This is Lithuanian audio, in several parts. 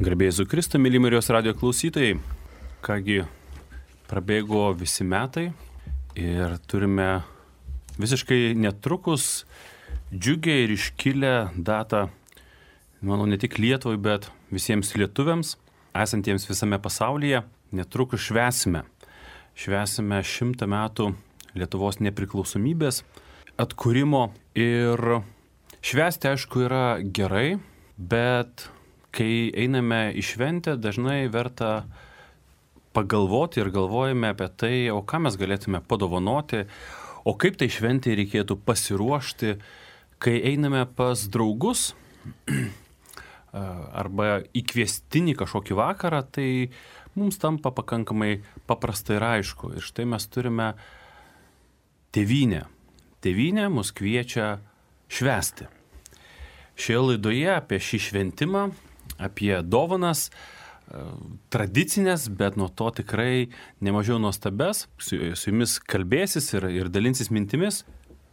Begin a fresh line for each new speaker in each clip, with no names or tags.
Garbė Jėzui Kristui, myli Marijos radijo klausytojai. Kągi, prabėgo visi metai ir turime visiškai netrukus džiugę ir iškilę datą, manau, ne tik Lietuvai, bet visiems lietuviams, esantiems visame pasaulyje. Netrukus švęsime 100 metų Lietuvos nepriklausomybės atkūrimo. Ir švęsti, aišku, yra gerai, bet kai einame į šventę, dažnai verta pagalvoti ir galvojame apie tai, o ką mes galėtume padovanoti, o kaip tai šventėje reikėtų pasiruošti, kai einame pas draugus arba į kviestinį kažkokį vakarą, tai mums tampa pakankamai paprasta ir aišku. Ir štai mes turime tėvynę. Tėvynė mus kviečia švęsti. Šioje laidoje apie šį šventimą, apie dovanas, tradicinės, bet nuo to tikrai nemažiau nuostabes, su jumis kalbėsis ir dalinsis mintimis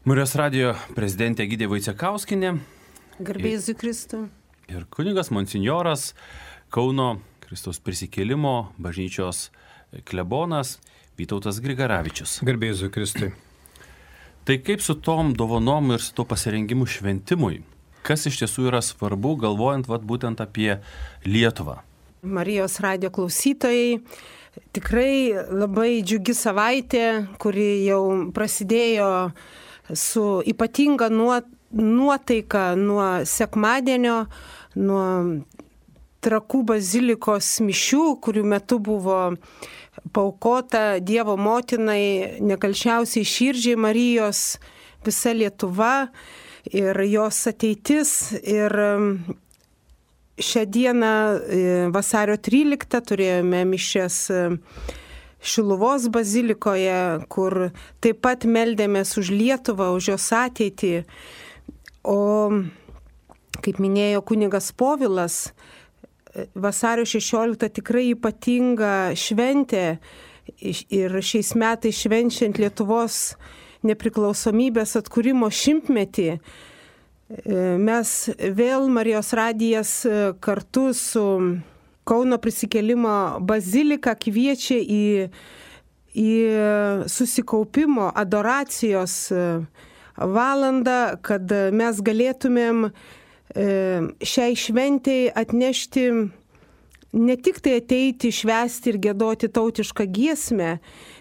Marijos radijo prezidentė Egidija Vaicekauskienė.
Garbė Jėzui Kristui.
Ir kunigas monsinjoras Kauno Kristaus prisikėlimo bažnyčios klebonas Vytautas Grigaravičius.
Garbė Jėzui Kristui.
Tai kaip su tom dovanom ir su to pasirengimu šventimui? Kas iš tiesų yra svarbu, galvojant būtent apie Lietuvą?
Marijos radijo klausytojai, tikrai labai džiugi savaitė, kuri jau prasidėjo su ypatinga nuotaika nuo sekmadienio, nuo Trakų bazilikos mišių, kurių metu buvo paaukota Dievo motinai, nekalčiausiai širdžiai Marijos visa Lietuva ir jos ateitis. Ir šią dieną, vasario 13, turėjome mišias Šiluvos bazilikoje, kur taip pat meldėmės už Lietuvą, už jos ateitį. O, kaip minėjo kunigas Povilas, vasario 16 tikrai ypatinga šventė ir šiais metais švenčiant Lietuvos nepriklausomybės atkūrimo 100-metį. Mes vėl Marijos radijas kartu su Kauno prisikėlimo bazilika kviečia į susikaupimo, adoracijos valandą, kad mes galėtumėm šiai šventei atnešti, ne tik tai ateiti, švęsti ir giedoti tautišką giesmę,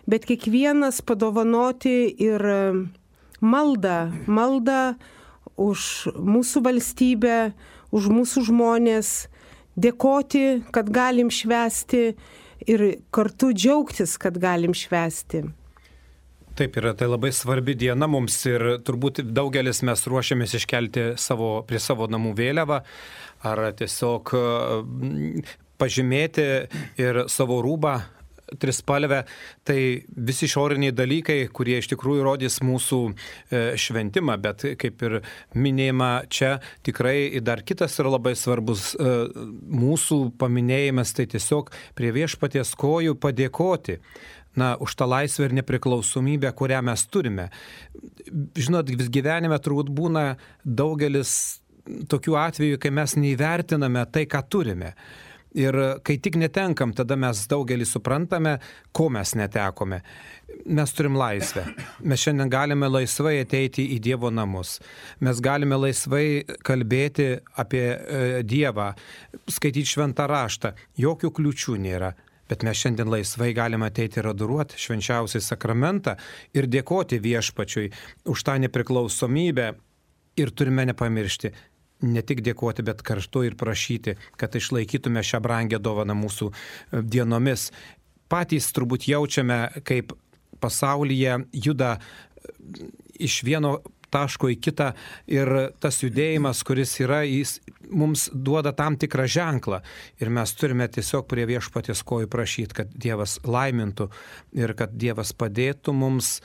bet kiekvienas padovanoti ir maldą už mūsų valstybę, už mūsų žmonės, dėkoti, kad galim švęsti ir kartu džiaugtis, kad galim švęsti.
Taip yra, tai labai svarbi diena mums ir turbūt daugelis mes ruošiamės iškelti prie savo namų vėliavą ar tiesiog pažymėti ir savo rūbą trispalvę. Tai visi išoriniai dalykai, kurie iš tikrųjų rodys mūsų šventimą, bet kaip ir minėjama čia, tikrai dar kitas yra labai svarbus mūsų paminėjimas, tai tiesiog prie viešpaties kojų padėkoti už tą laisvę ir nepriklausomybę, kurią mes turime. Žinot, vis gyvenime turbūt būna daugelis tokių atvejų, kai mes neįvertiname tai, ką turime. Ir kai tik netenkam, tada mes daugelį suprantame, ko mes netekome. Mes turim laisvę. Mes šiandien galime laisvai ateiti į Dievo namus. Mes galime laisvai kalbėti apie Dievą, skaityti šventą raštą. Jokių kliūčių nėra. Bet mes šiandien laisvai galime ateiti ir adoruoti švenčiausią sakramentą ir dėkoti viešpačiui už tą nepriklausomybę. Ir turime nepamiršti, ne tik dėkoti, bet kartu ir prašyti, kad išlaikytume šią brangę dovaną mūsų dienomis. Patys turbūt jaučiame, kaip pasaulyje juda iš vieno taško į kitą ir tas judėjimas, kuris yra, jis mums duoda tam tikrą ženklą ir mes turime tiesiog prie viešpaties kojų prašyti, kad Dievas laimintų ir kad Dievas padėtų mums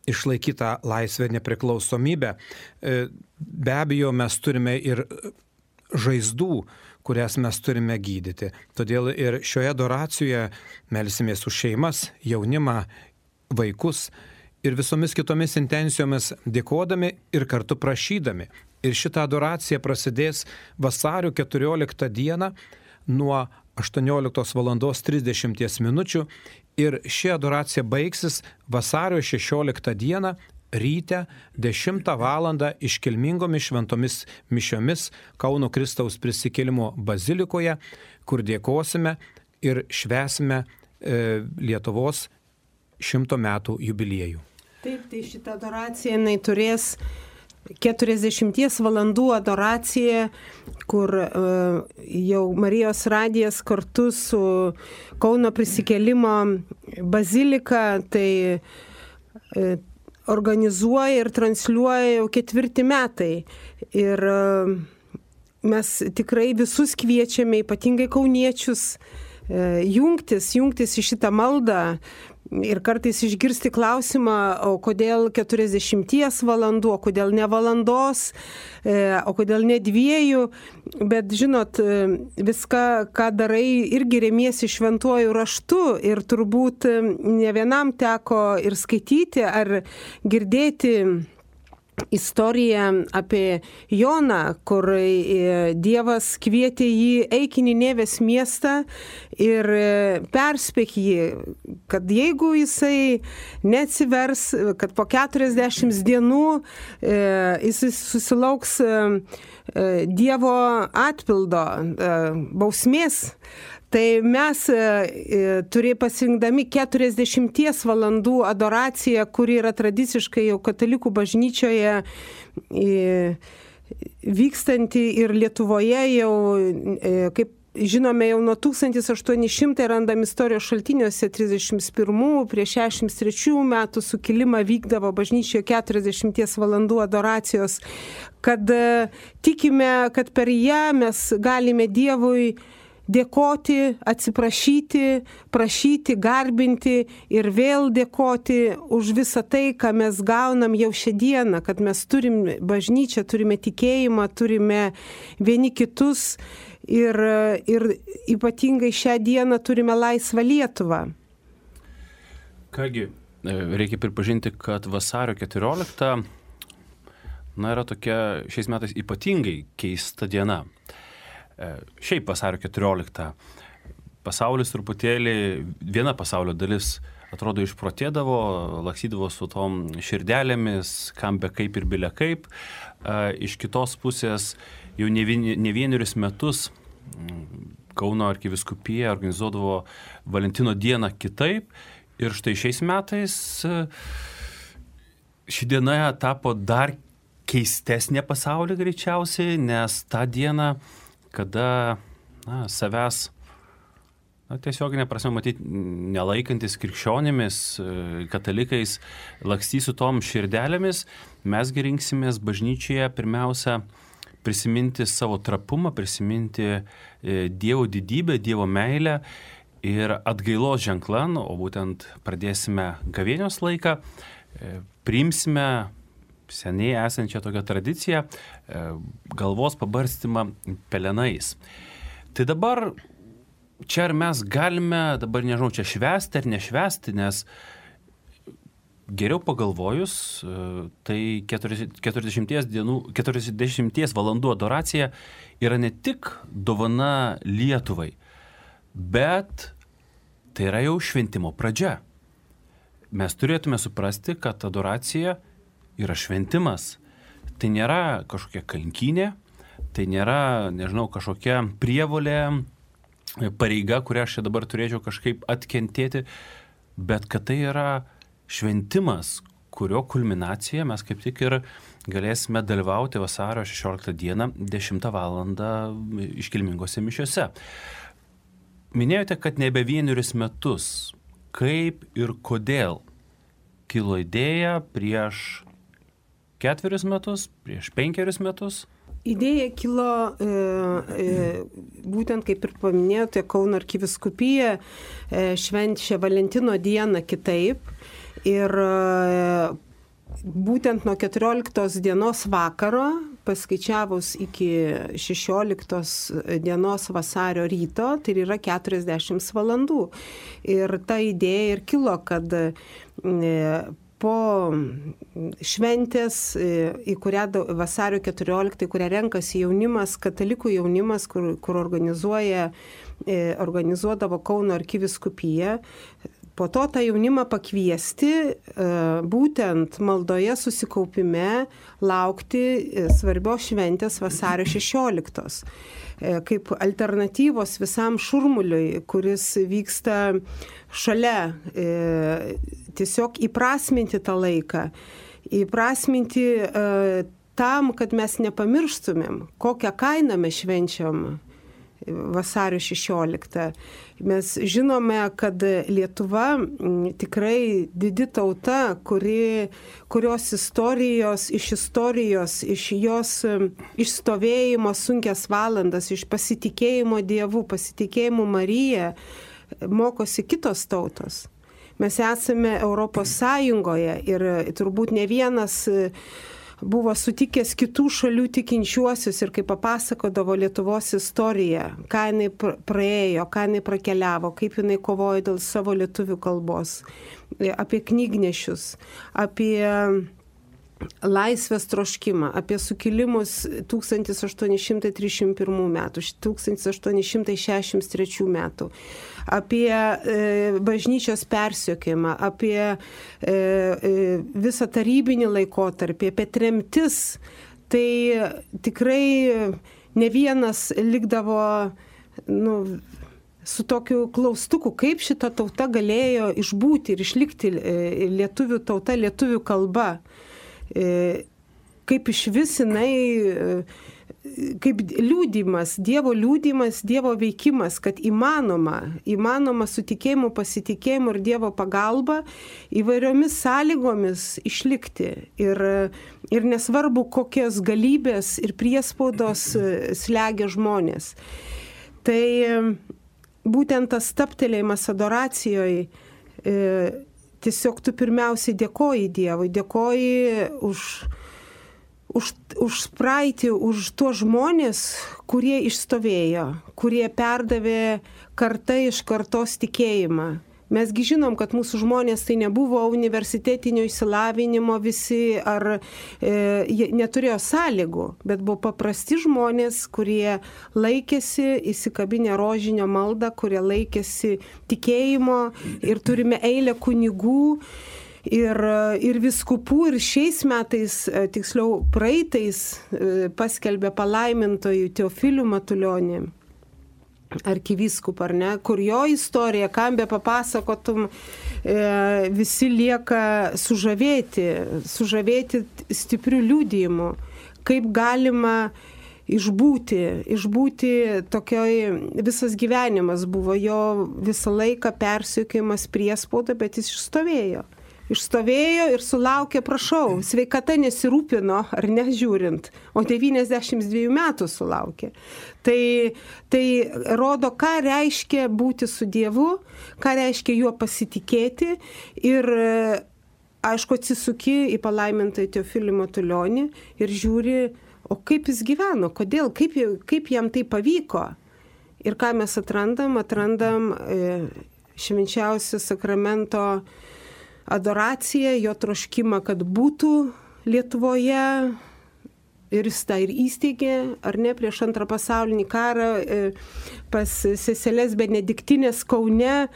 išlaikytą laisvę nepriklausomybę. Be abejo, mes turime ir žaizdų, kurias mes turime gydyti. Todėl ir šioje adoracijoje melsimės už šeimas, jaunimą, vaikus ir visomis kitomis intencijomis dėkodami ir kartu prašydami. Ir šita adoracija prasidės vasario 14 dieną nuo 18:30 min. Ir ši adoracija baigsis vasario 16 dieną ryte 10 val. Iškilmingomis šventomis mišiomis Kauno Kristaus prisikėlimo bazilikoje, kur dėkosime ir švęsime Lietuvos 100 metų jubiliejų.
Taip, tai šitą adoraciją jinai turės 40 valandų adoracija, kur jau Marijos radijas kartu su Kauno prisikėlimo bazilika tai organizuoja ir transliuoja jau 4 metai. Ir mes tikrai visus kviečiame, ypatingai kauniečius, jungtis į šitą maldą ir kartais išgirsti klausimą, o kodėl 40 valandų, o kodėl ne valandos, o kodėl ne 2, bet žinot, viską, ką darai, irgi remiesi šventuoju raštu ir turbūt ne vienam teko ir skaityti ar girdėti istoriją apie Joną, kur Dievas kvietė jį eik į Ninevės miestą ir perspėk jį, kad jeigu jisai neatsivers, kad po 40 dienų jisai susilauks Dievo atpildo, bausmės. Tai mes pasirinkdami 40 valandų adoraciją, kuri yra tradiciškai jau katalikų bažnyčioje vykstanti ir Lietuvoje jau, kaip žinome, jau nuo 1800 randam istorijos šaltiniuose 31 prie 63 metų sukilimą vykdavo bažnyčioje 40 valandų adoracijos, kad tikime, kad per ją mes galime Dievui dėkoti, atsiprašyti, prašyti, garbinti ir vėl dėkoti už visą tai, ką mes gaunam jau šią dieną, kad mes turim bažnyčią, turime tikėjimą, turime vieni kitus ir ypatingai šią dieną turime laisvą Lietuvą.
Kągi, reikia pripažinti, kad vasario 14 yra tokia šiais metais ypatingai keista diena. Šiaip vasario 14 pasaulis truputėlį, viena pasaulio dalis atrodo išprotėdavo, laksydavo su tom širdelėmis, kam be kaip ir bile kaip. Iš kitos pusės jau ne vienerius metus Kauno arkivyskupija organizuodavo Valentino dieną kitaip ir štai šiais metais ši diena tapo dar keistesnė pasaulyje greičiausiai, nes tą dieną kada savęs tiesioginė prasme matyti nelaikantis krikščionimis, katalikais, lakstys su tom širdelėmis, mes rinksimės bažnyčioje pirmiausia prisiminti savo trapumą, prisiminti Dievo didybę, Dievo meilę ir atgailos ženklan, o būtent pradėsime gavėnios laiką, priimsime seniai esančią tokią tradiciją, galvos pabarstymą pelenais. Tai dabar čia ar mes galime, dabar nežinau, čia švęsti ar nešvęsti, nes geriau pagalvojus, tai 40 valandų adoracija yra ne tik dovana Lietuvai, bet tai yra jau šventimo pradžia. Mes turėtume suprasti, kad adoracija yra šventimas. Tai nėra kažkokia kankynė, tai nėra, nežinau, kažkokia prievolė, pareiga, kurią aš čia dabar turėčiau kažkaip atkentėti, bet kad tai yra šventimas, kurio kulminacija mes kaip tik ir galėsime dalyvauti vasario 16 dieną 10 val. Iškilmingose mišiose. Minėjote, kad nebe vienerius metus. Kaip ir kodėl kilo idėja prieš 4 metus, prieš 5 metus?
Idėja kilo būtent, kaip ir paminėjote, Kauno arkivyskupija švenčia Valentino dieną kitaip ir būtent nuo 14 dienos vakaro, paskaičiavus iki 16 dienos vasario ryto, tai yra 40 valandų. Ir ta idėja ir kilo, kad po šventės, į kurią vasario 14, kurią renkasi jaunimas, katalikų jaunimas, kur organizuodavo Kauno arkivyskupija, po to tą jaunimą pakviesti būtent maldoje susikaupime laukti svarbios šventės vasario 16. Kaip alternatyvos visam šurmuliui, kuris vyksta šalia, tiesiog įprasminti tą laiką, įprasminti tam, kad mes nepamirštumėm, kokią kainą mes švenčiam vasario 16. Mes žinome, kad Lietuva tikrai didi tauta, kurios iš jos išstovėjimo sunkias valandas, iš pasitikėjimo Dievu, pasitikėjimo Marija, mokosi kitos tautos. Mes esame Europos Sąjungoje ir turbūt ne vienas buvo sutikęs kitų šalių tikinčiuosius ir kaip papasakodavo Lietuvos istoriją, ką jinai praėjo, ką jinai prakeliavo, kaip jinai kovojo dėl savo lietuvių kalbos, apie knygnešius, apie laisvės troškimą, apie sukilimus 1831 metų, 1863 metų, apie bažnyčios persekiojimą, apie visą tarybinį laikotarpį, apie tremtis. Tai tikrai ne vienas likdavo su tokiu klaustuku, kaip šita tauta galėjo išbūti ir išlikti lietuvių tauta, lietuvių kalba. Kaip iš vis jinai, kaip liūdimas, Dievo veikimas, kad įmanoma su tikėjimu, pasitikėjimu ir Dievo pagalba įvairiomis sąlygomis išlikti. Ir nesvarbu, kokios galybės ir priespaudos slegia žmonės. Tai būtent tas stabtelėjimas adoracijoje, tiesiog tu pirmiausiai dėkoji Dievui, dėkoji už praeitį, už tuos žmonės, kurie išstovėjo, kurie perdavė karta iš kartos tikėjimą. Mesgi žinom, kad mūsų žmonės tai nebuvo universitetinio išsilavinimo visi ar neturėjo sąlygų, bet buvo paprasti žmonės, kurie laikėsi įsikabinę rožinio maldą, kurie laikėsi tikėjimo ir turime eilę kunigų ir viskupų ir šiais metais, tiksliau praeitais, paskelbė palaimintojų Teofilių Matulionį. Arkivyskupą, ar ne, kur jo istorija, kam be papasakotum, visi lieka sužavėti stiprių liudijimų, kaip galima išbūti tokioj, visas gyvenimas buvo jo visą laiką persekiojimas priespauda, bet jis išstovėjo ir sulaukė, prašau, sveikata nesirūpino, ar nežiūrint, o 92 metų sulaukė. Tai rodo, ką reiškia būti su Dievu, ką reiškia juo pasitikėti ir, aišku, atsisuki į palaimintąjį Teofilį Matulionį ir žiūri, o kaip jis gyveno, kodėl, kaip jam tai pavyko. Ir ką mes atrandam švenčiausio sakramento adoraciją, jo troškimą, kad būtų Lietuvoje, ir jis tą ir įsteigė, ar ne, prieš antrą pasaulinį karą pas seseles Benediktinės Kaune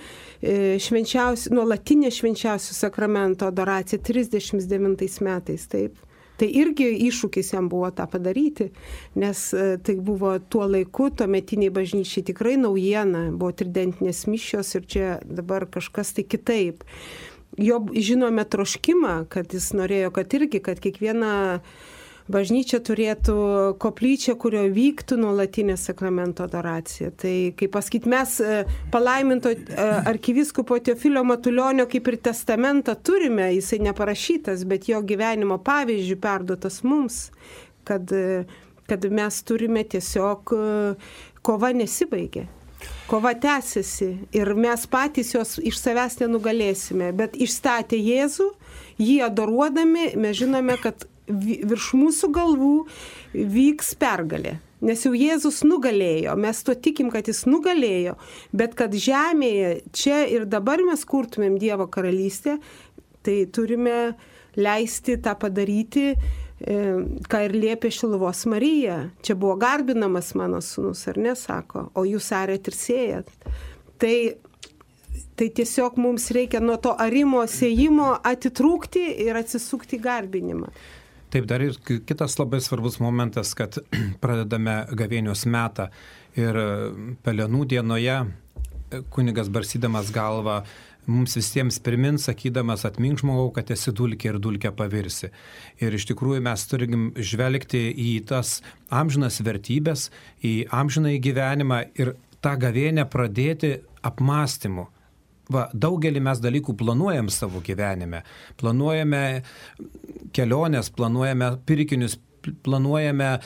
nuolatinė švenčiausio sakramento adoracija 39 metais, taip. Tai irgi iššūkis jam buvo tą padaryti, nes tai buvo tuo laiku, tuometiniai bažnyčiai tikrai naujiena, buvo tridentinės mišios ir čia dabar kažkas tai kitaip. Jo žinome troškimą, kad jis norėjo, kad kiekviena bažnyčia turėtų koplyčią, kurioje vyktų nuolatinė sakramento adoracija. Tai, kaip pasakyti, mes palaiminto arkivyskupo Teofilio Matulionio kaip ir testamentą turime, jisai neparašytas, bet jo gyvenimo pavyzdžių perduotas mums, kad mes turime tiesiog, kova nesibaigė. Kova tęsiasi ir mes patys jos iš savęs nenugalėsime, bet išstatė Jėzų, jį adoruodami, mes žinome, kad virš mūsų galvų vyks pergalė. Nes jau Jėzus nugalėjo, mes to tikim, kad jis nugalėjo, bet kad žemėje čia ir dabar mes kurtumėm Dievo karalystę, Tai turime leisti tą padaryti, ką ir liepė Šiluvos Marija. Čia buvo garbinamas mano sūnus, ar ne, sako, o jūs arėt ir sėjat. Tai tiesiog mums reikia nuo to arimo, sėjimo atitrūkti ir atsisukti garbinimą.
Taip, dar ir kitas labai svarbus momentas, kad pradedame gavėnios metą ir Pelenų dienoje kunigas barsydamas galvą mums visiems primins, sakydamas, atmink žmogau, kad esi dulkė ir dulkę pavirsi. Ir iš tikrųjų mes turim žvelgti į tas amžinas vertybės, į amžinąjį gyvenimą ir tą gavėnę pradėti apmąstymu. Daugelį mes dalykų planuojam savo gyvenime. Planuojame keliones, planuojame pirkinius, planuojame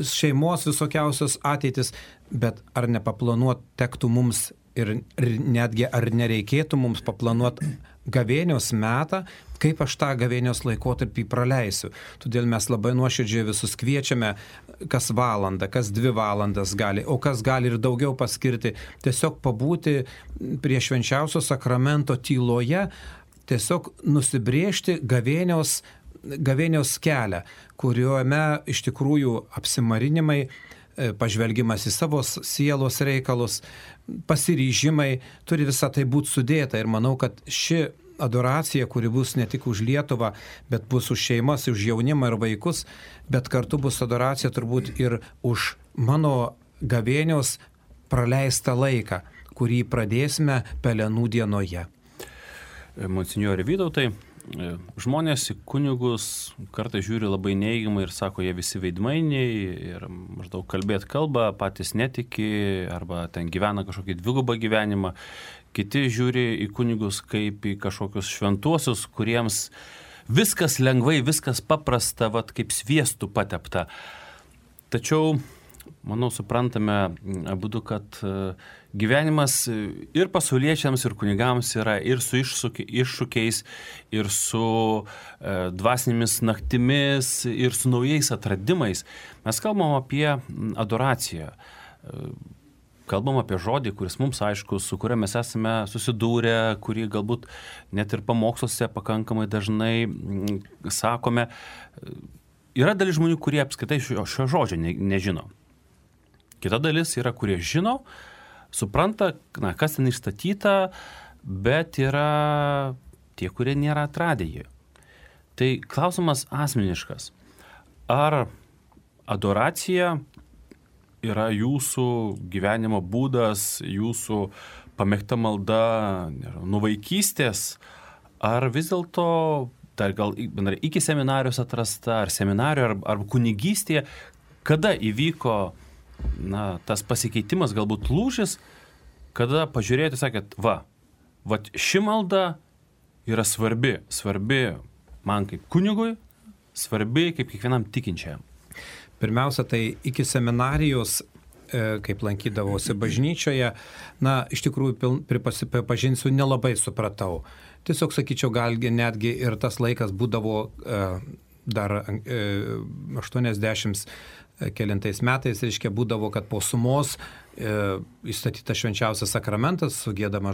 šeimos visokiausios ateitis, bet ar nepaplanuot tektų mums ir netgi ar nereikėtų mums paplanuoti gavėnios metą, kaip aš tą gavėnios laikotarpį praleisiu. Todėl mes labai nuoširdžiai visus kviečiame, kas valandą, kas 2 valandas gali, o kas gali ir daugiau paskirti, tiesiog pabūti prie švenčiausio sakramento tyloje, tiesiog nusibrėžti gavėnios kelią, kuriuome iš tikrųjų apsimarinimai, pažvelgimas į savo sielos reikalus, pasiryžimai, turi visą tai būti sudėta. Ir manau, kad ši adoracija, kuri bus ne tik už Lietuvą, bet bus už šeimas, už jaunimą ir vaikus, bet kartu bus adoracija turbūt ir už mano gavėnios praleistą laiką, kurį pradėsime Pelenų dienoje.
Monsinjore Vytautai, žmonės į kunigus kartais žiūri labai neigiamai ir sako, jie visi veidmainiai ir maždaug kalbėt kalbą, patys netiki arba ten gyvena kažkokį dvigubą gyvenimą. Kiti žiūri į kunigus kaip į kažkokius šventuosius, kuriems viskas lengvai, viskas paprasta, kaip sviestų patepta. Tačiau, manau, suprantame abudu, kad gyvenimas ir pasauliečiams, ir kunigams yra ir su iššūkiais, ir su dvasinėmis naktimis, ir su naujais atradimais. Mes kalbam apie adoraciją. Kalbam apie žodį, kuris mums aiškus, su kuriuo mes esame susidūrę, kurį galbūt net ir pamoksluose pakankamai dažnai sakome. Yra dalis žmonių, kurie apskritai šio žodžio nežino. Kita dalis yra, kurie žino, supranta, kas ten išstatyta, bet yra tie, kurie nėra atradę jį. Tai klausimas asmeniškas. Ar adoracija yra jūsų gyvenimo būdas, jūsų pamėgta malda nuo vaikystės, ar vis dėlto dar gal iki seminarijos atrasta, ar seminarijoje, ar kunigystėje, kada įvyko tas pasikeitimas, galbūt lūžis, kada pažiūrėjote, sakėt, ši malda yra svarbi man kaip kunigui, svarbi kaip kiekvienam tikinčiam.
Pirmiausia, tai iki seminarijos, kaip lankydavosi bažnyčioje, iš tikrųjų, pripažinsiu, nelabai supratau. Tiesiog, sakyčiau, gal netgi ir tas laikas būdavo dar 80 kelintais metais, reiškia, būdavo, kad po sumos įstatytas švenčiausias sakramentas, sugėdama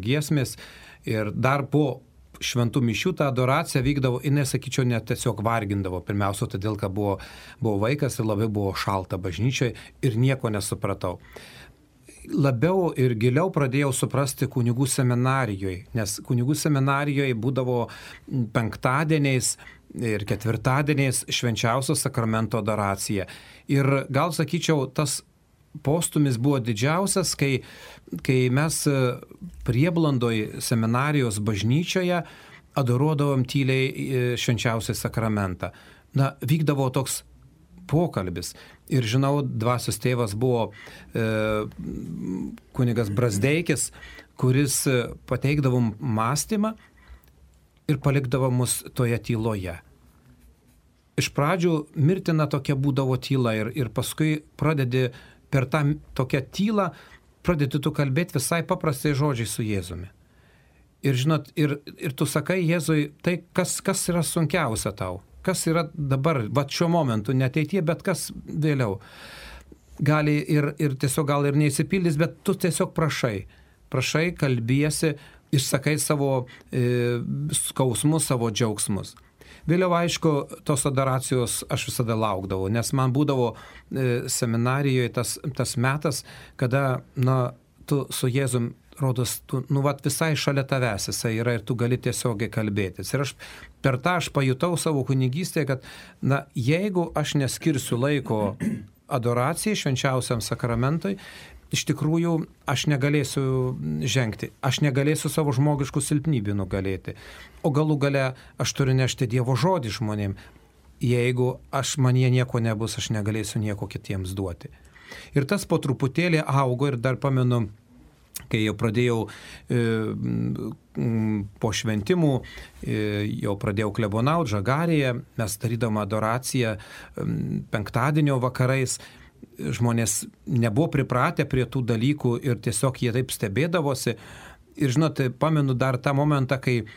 giesmės ir dar po šventų mišių ta adoracija vykdavo, jinai, sakyčiau, net tiesiog vargindavo. Pirmiausia, todėl, kad buvo vaikas ir labai buvo šalta bažnyčioje ir nieko nesupratau. Labiau ir giliau pradėjau suprasti kunigų seminarijoje, nes kunigų seminarijoje būdavo penktadieniais ir ketvirtadieniais švenčiausio sakramento adoracija. Ir gal, sakyčiau, tas postumis buvo didžiausias, kai mes Prieblandoj seminarijos bažnyčioje adoruodavom tyliai švenčiausią sakramentą. Vykdavo toks pokalbis. Ir žinau, dvasios tėvas buvo kunigas Brazdeikis, kuris pateikdavom mąstymą ir palikdavo mus toje tyloje. Iš pradžių mirtina tokia būdavo tyla ir paskui pradedi per tą tokią tylą, pradedi tu kalbėti visai paprastai žodžiai su Jėzumi. Ir žinot, ir tu sakai Jėzui, tai kas yra sunkiausia tau? Kas yra dabar, šiuo momentu, ne ateityje, bet kas vėliau? Gali ir tiesiog gal ir neįsipildys, bet tu tiesiog prašai, kalbiesi, išsakai savo skausmus, savo džiaugsmus. Vėliau, aišku, tos adoracijos aš visada laukdavau, nes man būdavo seminarijoje tas metas, kada, tu su Jėzum, rodos, visai šalia tavęs jisai yra ir tu gali tiesiogiai kalbėtis. Ir per tą aš pajutau savo kunigystėje, kad, jeigu aš neskirsiu laiko adoracijai, švenčiausiam sakramentui, iš tikrųjų aš negalėsiu žengti, aš negalėsiu savo žmogiškų silpnybių nugalėti. O galų gale aš turiu nešti Dievo žodį žmonėm. Jeigu manyje nieko nebus, aš negalėsiu nieko kitiems duoti. Ir tas po truputėlį augo ir dar pamenu, kai jau pradėjau po šventimų, jau pradėjau klebonauti Žagarėje, mes darydom adoraciją penktadienio vakarais. Žmonės nebuvo pripratę prie tų dalykų ir tiesiog jie taip stebėdavosi. Ir žinote, pamenu dar tą momentą, kai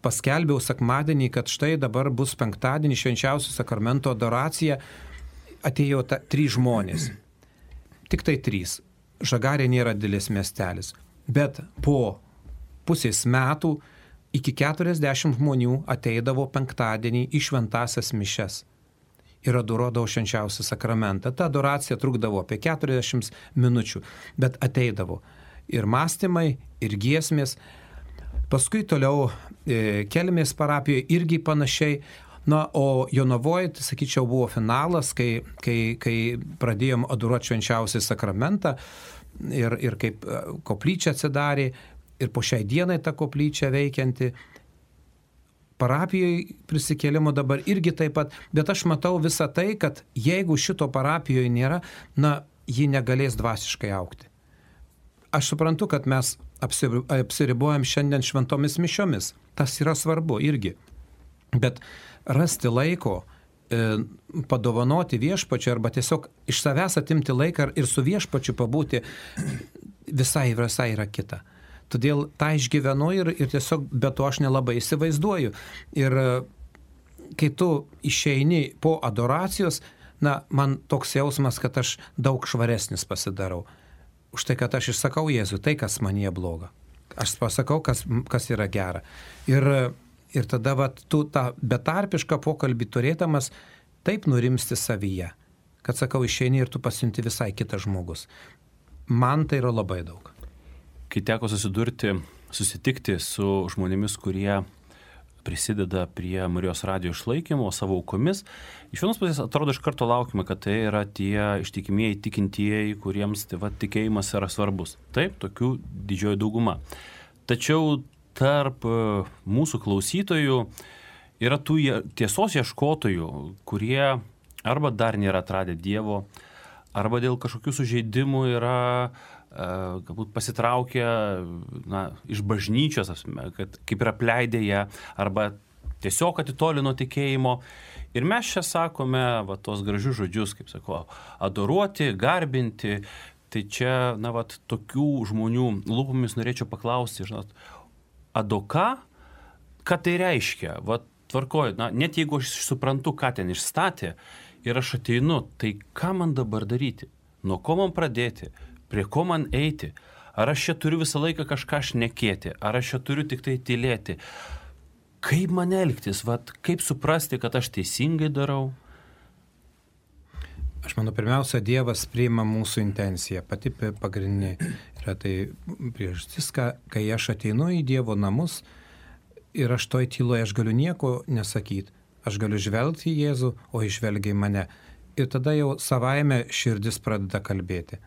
paskelbiau sekmadienį, kad štai dabar bus penktadienį švenčiausio sakramento adoracija, atėjo 3 žmonės. Tik tai 3. Žagarė nėra didelis miestelis. Bet po pusės metų iki 40 žmonių ateidavo penktadienį į šventąsias mišias. Ir adoruodavo švenčiausią sakramentą. Ta adoracija trukdavo apie 40 minučių, bet ateidavo ir mąstymai, ir giesmės. Paskui toliau Kelmės parapijoje irgi panašiai. O Jonavoje, tai sakyčiau, buvo finalas, kai pradėjom adoruoti švenčiausią sakramentą ir kaip koplyčia atsidarė ir po šiai dienai ta koplyčia veikianti. Parapijoje prisikėlimo dabar irgi taip pat, bet aš matau visą tai, kad jeigu šito parapijoje nėra, ji negalės dvasiškai augti. Aš suprantu, kad mes apsiribojam šiandien šventomis mišiomis. Tas yra svarbu irgi. Bet rasti laiko, padovanoti viešpačiui arba tiesiog iš savęs atimti laiką ir su viešpačiu pabūti visai yra kita. Todėl tą išgyvenu ir tiesiog be to aš nelabai įsivaizduoju. Ir kai tu išeini po adoracijos, man toks jausmas, kad aš daug švaresnis pasidarau. Už tai, kad aš išsakau Jėzui tai, kas manyje bloga. Aš pasakau, kas yra gera. Ir tada tu tą betarpišką pokalbį turėdamas taip nurimsti savyje, kad sakau, išeini ir tu pasiunti visai kitas žmogus. Man tai yra labai daug.
Kai teko susitikti su žmonėmis, kurie prisideda prie Marijos radijo išlaikymo savo aukomis, iš vienos pusės atrodo iš karto laukime, kad tai yra tie ištikimieji tikintieji, kuriems tikėjimas yra svarbus. Taip, tokių didžioji dauguma. Tačiau tarp mūsų klausytojų yra tų tiesos ieškotojų, kurie arba dar nėra atradę Dievo, arba dėl kažkokių sužeidimų yra galbūt pasitraukę iš bažnyčios, kad kaip yra apleidę ją, arba tiesiog atitolino tikėjimo. Ir mes čia sakome tos gražius žodžius, kaip sako, adoruoti, garbinti. Tai čia, tokių žmonių lūpomis norėčiau paklausti, adoka, ką tai reiškia? Tvarkoj, net jeigu aš suprantu, ką ten išstatė ir aš ateinu, tai ką man dabar daryti? Nuo ko man pradėti? Prie ko man eiti? Ar aš čia turiu visą laiką kažką šnekėti? Ar aš čia turiu tik tai tylėti? Kaip man elgtis? Kaip suprasti, kad aš teisingai darau?
Aš manau, pirmiausia, Dievas priima mūsų intenciją. Pati pagrindinė yra tai priežastis, kai aš ateinu į Dievo namus ir aš toj tyloje aš galiu nieko nesakyti. Aš galiu žvelgti į Jėzų, o išvelgia į mane. Ir tada jau savaime širdis pradeda kalbėti.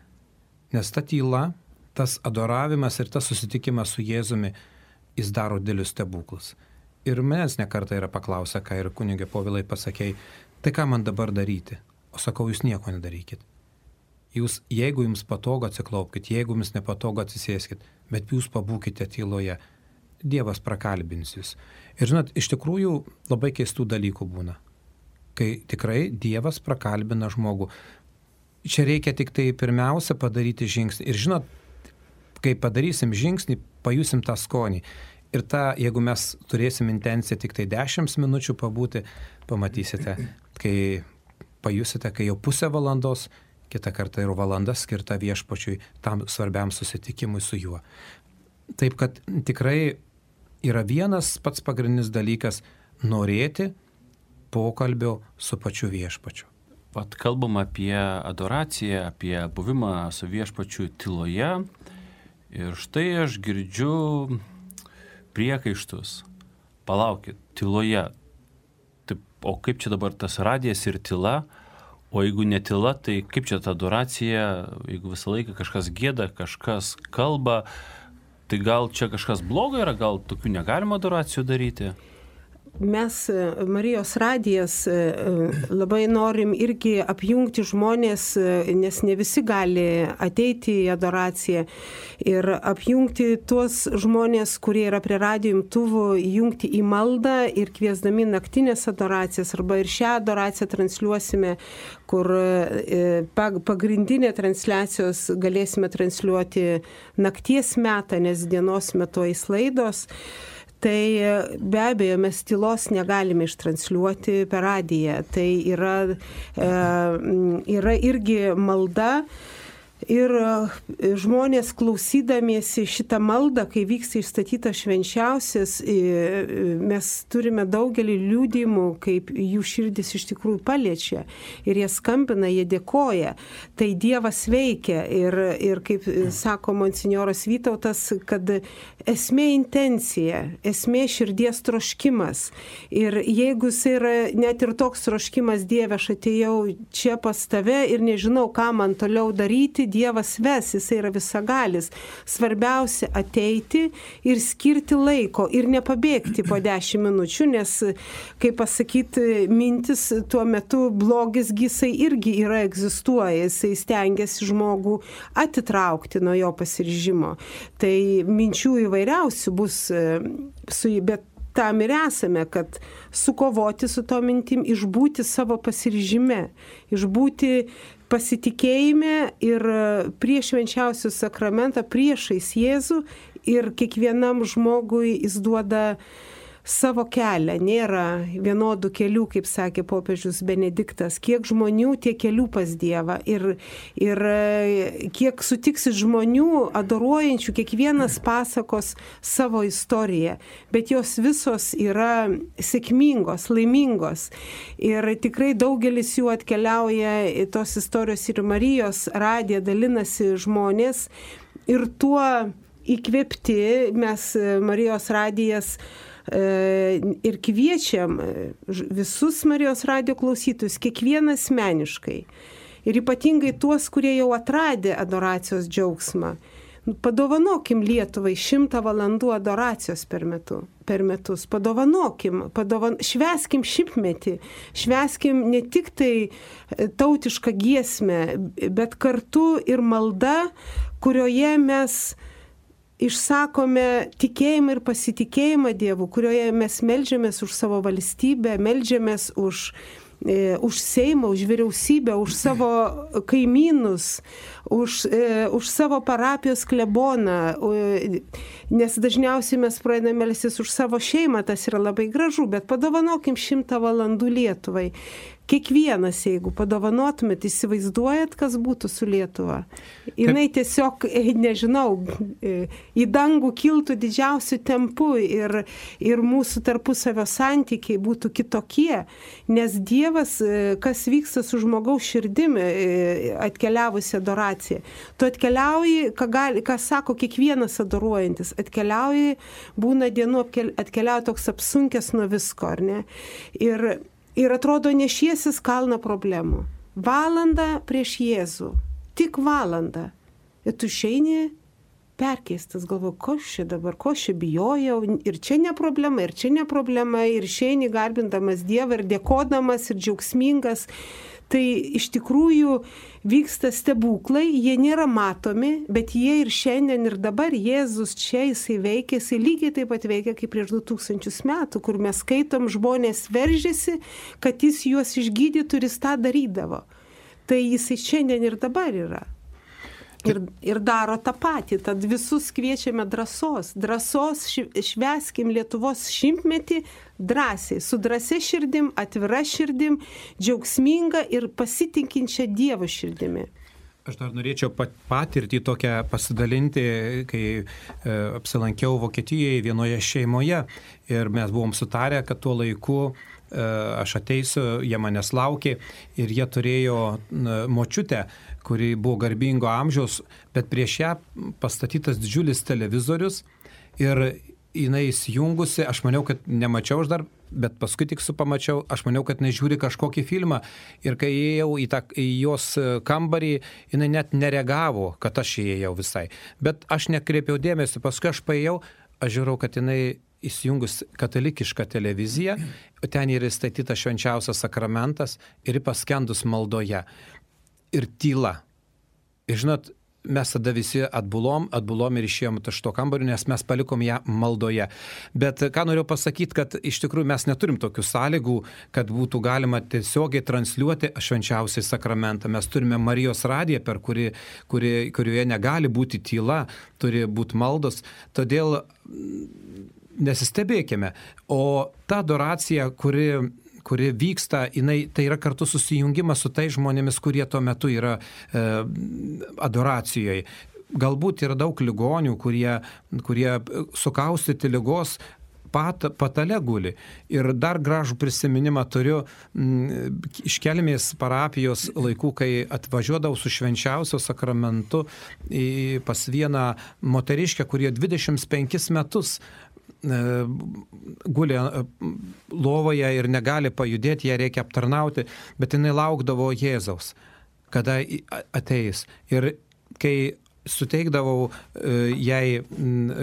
Nes ta tyla, tas adoravimas ir tas susitikimas su Jėzumi, jis daro didelius stebuklus. Ir manęs nekartą yra paklausę, ką ir kunigė Povilai pasakei, tai ką man dabar daryti? O sakau, jūs nieko nedarykit. Jūs, jeigu jums patogu, atsiklaupkite, jeigu jums nepatogu, atsisėskit, bet jūs pabūkite tyloje. Dievas prakalbins jūs. Ir žinot, iš tikrųjų labai keistų dalykų būna, kai tikrai Dievas prakalbina žmogų. Čia reikia tik tai pirmiausia padaryti žingsnį. Ir žinot, kai padarysim žingsnį, pajusim tą skonį. Ir jeigu mes turėsim intenciją tik tai 10 minučių pabūti, pamatysite, kai pajusite, kai jau pusę valandos, kitą kartą ir valanda skirta viešpačiui, tam svarbiam susitikimui su juo. Taip kad tikrai yra vienas pats pagrindinis dalykas - norėti pokalbio su pačiu viešpačiu.
Vat kalbam apie adoraciją, apie buvimą su viešpačiu tyloje. Ir štai aš girdžiu priekaištus. Palaukit, tyloje. Taip, o kaip čia dabar tas radijas ir tyla? O jeigu ne tyla, tai kaip čia ta adoracija? Jeigu visą laiką kažkas gieda, kažkas kalba, tai gal čia kažkas blogo yra, gal tokių negalima adoracijų daryti?
Mes, Marijos radijas, labai norim irgi apjungti žmonės, nes ne visi gali ateiti į adoraciją, ir apjungti tuos žmonės, kurie yra prie radijo imtuvų, jungti į maldą ir kviesdami naktinės adoracijas, arba ir šią adoraciją transliuosime, kur pagrindinė transliacijos galėsime transliuoti nakties metą, nes dienos metu eis laidos. Tai be abejo, mes tylos negalime ištransliuoti per radiją. Tai yra irgi malda. Ir žmonės klausydamiesi šitą maldą, kai vyksta išstatytas švenčiausias, mes turime daugelį liudijimų, kaip jų širdis iš tikrųjų paliečia. Ir jie skambina, jie dėkoja. Tai Dievas veikia. Ir kaip sako monsinjoras Vytautas, kad esmė intencija, esmė širdies troškimas. Ir jeigu jis yra net ir toks troškimas, Dieve, aš atėjau čia pas tave ir nežinau, ką man toliau daryti, Dievas ves, jis yra visagalis. Svarbiausia ateiti ir skirti laiko ir nepabėgti po 10 minučių, nes, kaip pasakyti, mintis tuo metu blogis jisai irgi yra egzistuoja, jisai stengiasi žmogų atitraukti nuo jo pasiryžimo. Tai minčių įvairiausių bus, bet tam ir esame, kad sukovoti su to mintim, išbūti savo pasiryžime, išbūti pasitikėjime ir prieš švenčiausių sakramentą, priešais Jėzų, ir kiekvienam žmogui jis duoda savo kelią. Nėra vienodų kelių, kaip sakė popiežius Benediktas. Kiek žmonių, tiek kelių pas Dievą. Ir kiek sutiksit žmonių adoruojančių, kiekvienas pasakos savo istoriją. Bet jos visos yra sėkmingos, laimingos. Ir tikrai daugelis jų atkeliauja į tos istorijos ir Marijos radiją, dalinasi žmonės. Ir tuo įkvėpti mes Marijos radijas ir kviečiam visus Marijos radijo klausytojus, kiekvieną asmeniškai. Ir ypatingai tuos, kurie jau atradė adoracijos džiaugsmą. Padovanokim Lietuvai 100 valandų adoracijos per metus. Padovanokim, švęskim 100-metį. Švęskim ne tik tai tautišką giesmę, bet kartu ir malda, kurioje mes išsakome tikėjimą ir pasitikėjimą Dievu, kurioje mes meldžiamės už savo valstybę, meldžiamės už Seimą, už vyriausybę, už savo kaimynus, už savo parapijos kleboną, nes dažniausiai mes pradedame melstis už savo šeimą, tas yra labai gražu, bet padovanokim 100 valandų Lietuvai. Kiekvienas, jeigu padovanotumėt, įsivaizduojat, kas būtų su Lietuva. Jinai tiesiog, nežinau, į dangų kiltų didžiausių tempų ir mūsų tarpusavio santykiai būtų kitokie, nes Dievas, kas vyksta su žmogaus širdimi atkeliavusi adoracija. Tu atkeliauji, ką sako kiekvienas adoruojantis, atkeliauji, būna dienų, atkeliauja toks apsunkęs nuo visko, ar ne? Ir atrodo nešiesis kalną problemų. Valandą prieš Jėzų. Tik valandą. Ir tu išeini perkeistas, galvoju, ko čia dabar, ko čia bijojau. Ir čia ne problema, ir čia ne problema. Ir išeini garbindamas Dievą ir dėkodamas ir džiaugsmingas. Tai iš tikrųjų vyksta stebuklai, jie nėra matomi, bet jie ir šiandien ir dabar Jėzus čia, jisai veikia, jisai lygiai taip pat veikia kaip prieš 2000 metų, kur mes skaitom, žmonės veržėsi, kad jis juos išgydytų ir jis tą darydavo. Tai jisai šiandien ir dabar yra. Ir daro tą patį. Tad visus kviečiame drąsos. Drąsos švęskim Lietuvos 100-metį drąsiai, su drąsia širdim, atvira širdim, džiaugsminga ir pasitinkinčia Dievo širdimi.
Aš dar norėčiau patirtį tokią pasidalinti, kai apsilankiau Vokietijoje vienoje šeimoje ir mes buvom sutarę, kad tuo laiku aš ateisiu, jie manęs laukė ir jie turėjo močiutę, kuri buvo garbingo amžiaus, bet prieš ją pastatytas didžiulis televizorius ir jinai įsijungusi, aš maniau, kad nemačiau aš dar, bet paskui tik pamačiau, aš maniau, kad nežiūri kažkokį filmą ir kai įėjau į jos kambarį, jinai net nereagavo, kad aš įėjau visai. Bet aš nekreipiau dėmesio, paskui aš paėjau, aš žiūrėjau, kad jinai įsijungus katalikišką televiziją, ten yra įstatytas švenčiausias sakramentas ir paskendus maldoje. Ir tyla. Ir žinot, mes tada visi atbulom ir išėjom iš to kambario, nes mes palikom ją maldoje. Bet ką noriu pasakyti, kad iš tikrųjų mes neturim tokių sąlygų, kad būtų galima tiesiogiai transliuoti švenčiausiai sakramentą. Mes turime Marijos radiją, kurioje negali būti tyla, turi būti maldos. Todėl nesistebėkime. O ta adoracija, kuri vyksta, tai yra kartu susijungimas su tai žmonėmis, kurie tuo metu yra adoracijoje. Galbūt yra daug ligonių, kurie sukaustyti ligos patale guli. Ir dar gražų prisiminimą turiu iš Kelmės parapijos laikų, kai atvažiuodavau su švenčiausio sakramentu pas vieną moteriškę, kurie 25 metus guli lovoje ir negali pajudėti, ją reikia aptarnauti, bet jinai laukdavo Jėzaus, kada ateis. Ir kai suteikdavau jai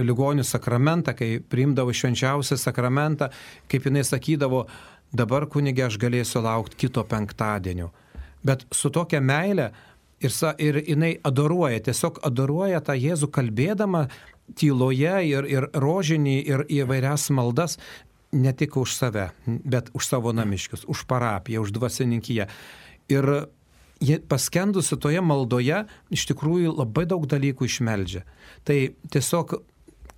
ligonių sakramentą, kai priimdavau švenčiausią sakramentą, kaip jinai sakydavo, dabar kunige aš galėsiu laukti kito penktadienio. Bet su tokia meile ir jinai tiesiog adoruoja tą Jėzų kalbėdama tyloje ir rožinį ir įvairias maldas, ne tik už save, bet už savo namiškius, už parapiją, už dvasininkiją. Ir paskendusi toje maldoje iš tikrųjų labai daug dalykų išmeldžia. Tai tiesiog,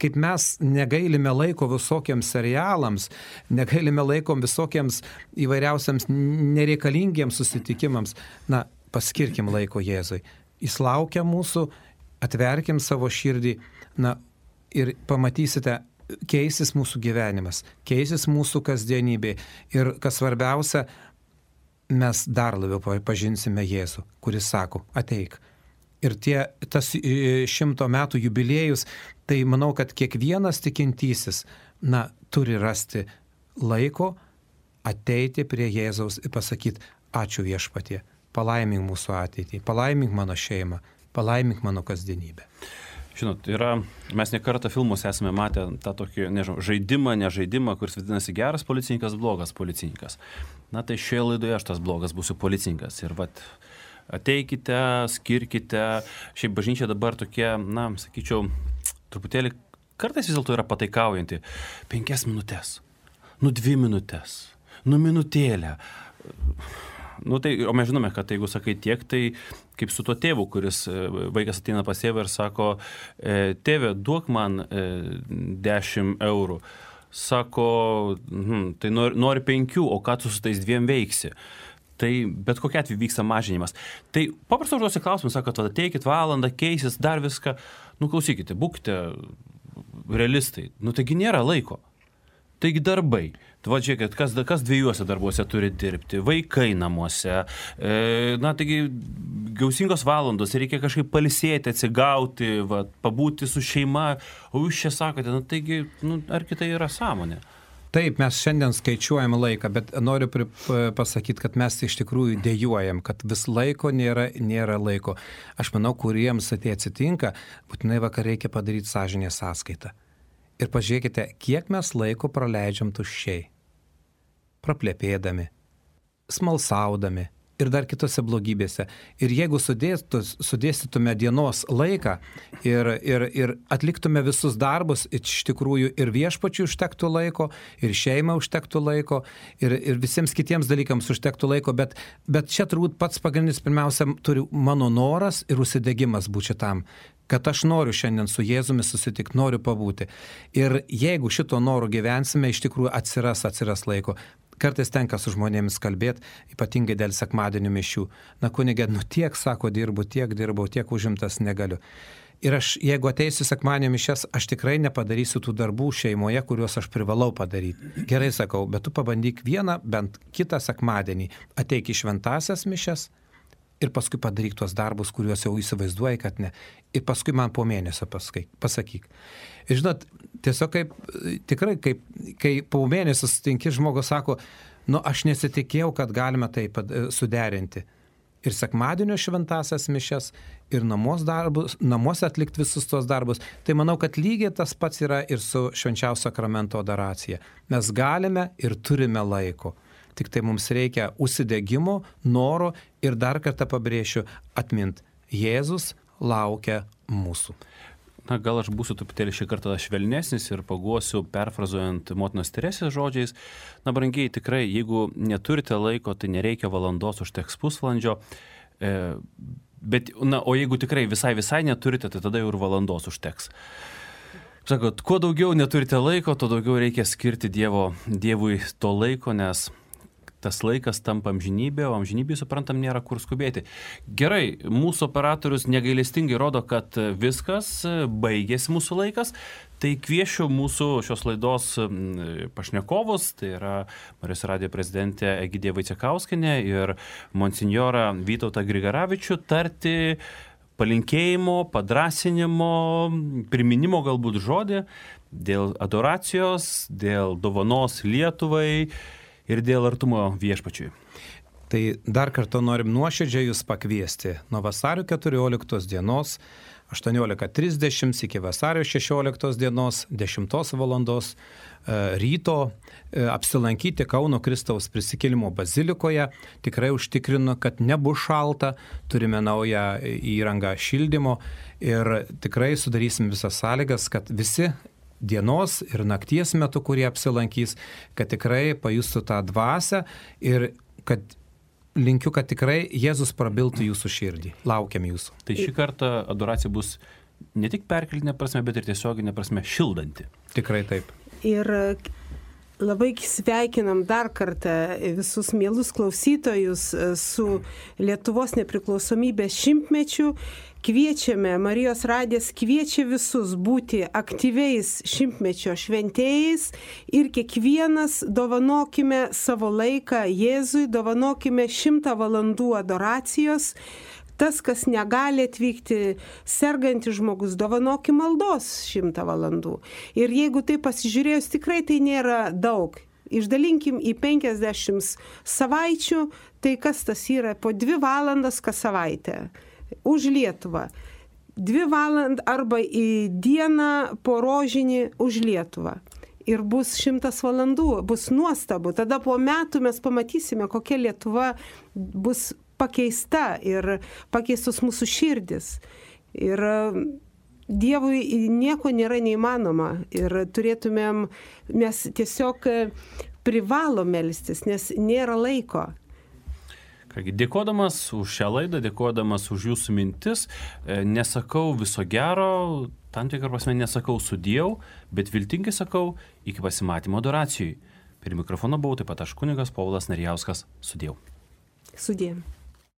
kaip mes negailime laiko visokiems serialams, negailime laiko visokiems įvairiausiams nereikalingiems susitikimams, paskirkim laiko Jėzui. Jis laukia mūsų, atverkim savo širdį, ir pamatysite, keisis mūsų gyvenimas, keisis mūsų kasdienybė ir, kas svarbiausia, mes dar labiau pažinsime Jėzų, kuris sako, ateik. Ir tas 100 metų jubiliejus, tai manau, kad kiekvienas tikintysis, turi rasti laiko ateiti prie Jėzaus ir pasakyti, ačiū Viešpatie, palaimink mūsų ateitį, palaimink mano šeimą, palaimink mano kasdienybę.
Žinot, mes ne kartą filmuose esame matę tą tokį, nežaidimą, kuris vadinasi geras policininkas, blogas policininkas. Tai šioje laidoje aš tas blogas būsiu policininkas. Ir ateikite, skirkite. Šiaip bažnyčia dabar tokie, sakyčiau, truputėlį kartais vis dėlto yra pataikaujanti. 5 minutės, 2 minutės, minutėlę. O mes žinome, kad jeigu sakai tiek, tai kaip su tuo tėvu, kuris vaikas ateina pas tėvą ir sako, tėve, duok man 10 eurų. Sako, tai nori 5, o ką tu su tais 2 veiksi? Tai bet kokia atveju vyksta mažinimas. Tai paprastai užduosi klausimus, sako, tada ateikit valandą, keisis, dar viską. Klausykite, būkite realistai. Taigi nėra laiko. Taigi darbai. Žiūrėkit, kas 2 darbuose turi dirbti, vaikai namuose, taigi gausingos valandos, reikia kažkaip pailsėti, atsigauti, pabūti su šeima, o jūs čia sakote, taigi, argi tai yra sąmonė?
Taip, mes šiandien skaičiuojam laiką, bet noriu pasakyti, kad mes iš tikrųjų dejuojam, kad vis laiko nėra laiko. Aš manau, kuriems tai atsitinka, būtinai vakar reikia padaryti sąžinės sąskaitą. Ir pažiūrėkite, kiek mes laiko praleidžiam tuščiai, praplėpėdami, smalsaudami ir dar kitose blogybėse. Ir jeigu sudėstytume dienos laiką ir atliktume visus darbus, iš tikrųjų ir viešpačiui užtektų laiko, ir šeimai užtektų laiko, ir visiems kitiems dalykams užtektų laiko, bet čia turbūt pats pagrindinis pirmiausia turi mano noras ir užsidegimas būti šitam, kad aš noriu šiandien su Jėzumi susitikti, noriu pabūti. Ir jeigu šito noro gyvensime, iš tikrųjų atsiras laiko. kartais tenka su žmonėmis kalbėti, ypatingai dėl sekmadienio mišių. Na, kunigė, tiek, sako, dirbau, tiek užimtas negaliu. Ir aš, jeigu ateisiu sekmadienio mišias, aš tikrai nepadarysiu tų darbų šeimoje, kuriuos aš privalau padaryti. Gerai, sakau, bet tu pabandyk vieną, bent kitą sekmadienį, ateik į šventasias mišias ir paskui padaryk tuos darbus, kuriuos jau įsivaizduoji, kad ne. Ir paskui man po mėnesio pasakyk. Ir žinot, tiesiog tikrai, kai po mėnesio sutinki, žmogus sako, aš nesitikėjau, kad galime tai suderinti. Ir sekmadienio šventasias mišias, ir namuose atlikti visus tos darbus. Tai manau, kad lygiai tas pats yra ir su švenčiausio sakramento adoracija. Mes galime ir turime laiko. Tik tai mums reikia užsidegimo, noro ir dar kartą pabrėšiu, atmint, Jėzus laukia mūsų.
Na, gal aš būsiu truputėlį šį kartą švelnesnis ir paguosiu, perfrazuojant motinos Teresės žodžiais. Na, brangiai, tikrai, jeigu neturite laiko, tai nereikia valandos, užteks pusvalandžio. O jeigu tikrai visai neturite, tai tada jau ir valandos užteks. Sakot, kuo daugiau neturite laiko, tuo daugiau reikia skirti Dievui to laiko, nes tas laikas tampa amžinybė, o amžinybė, suprantam, nėra kur skubėti. Gerai, mūsų operatorius negailestingai rodo, kad viskas, baigėsi mūsų laikas, tai kviešiu mūsų šios laidos pašnekovus, tai yra Marijos radijo prezidentė Egidija Vaicekauskienė ir monsinjorą Vytautą Grigaravičių tarti palinkėjimo, padrąsinimo, priminimo galbūt žodį dėl adoracijos, dėl dovanos Lietuvai ir dėl artumo viešpačiui.
Tai dar kartą norim nuoširdžiai jūs pakviesti nuo vasario 14 dienos 18:30 iki vasario 16 dienos 10 valandos ryto apsilankyti Kauno Kristaus prisikėlimo bazilikoje. Tikrai užtikrinu, kad nebus šalta, turime naują įrangą šildymo ir tikrai sudarysim visas sąlygas, kad visi dienos ir nakties metu, kurie apsilankys, kad tikrai pajustų tą dvasią ir kad linkiu, kad tikrai Jėzus prabiltų jūsų širdį. Laukiam jūsų.
Tai šį kartą adoracija bus ne tik perkeltinė prasme, bet ir tiesioginė prasme šildanti.
Tikrai taip.
Ir labai sveikinam dar kartą visus mielus klausytojus su Lietuvos nepriklausomybės šimtmečiu. Kviečiame, Marijos radijas kviečia visus būti aktyviais šimtmečio šventėjais ir kiekvienas dovanokime savo laiką Jėzui, dovanokime 100 valandų adoracijos. Tas, kas negali atvykti, sergantis žmogus, dovanokim maldos 100 valandų. Ir jeigu tai pasižiūrėjus, tikrai tai nėra daug. Išdalinkim į 50 savaičių, tai kas tas yra? Po 2 valandas kas savaitę. Už Lietuvą. 2 valandas arba į dieną po rožinį už Lietuvą. Ir bus 100 valandų, bus nuostabu. Tada po metų mes pamatysime, kokia Lietuva bus pakeista ir pakeistos mūsų širdis. Ir Dievui nieko nėra neįmanoma. Ir turėtumėm, mes tiesiog privalom melstis, nes nėra laiko.
Kągi, dėkodamas už šią laidą, dėkodamas už jūsų mintis, nesakau viso gero, tam tikrą prasme nesakau sudiev, bet viltingai sakau iki pasimatymo adoracijai. Prie mikrofono buvau taip pat aš kunigas Povilas Narijauskas. Sudiev.
Sudiev.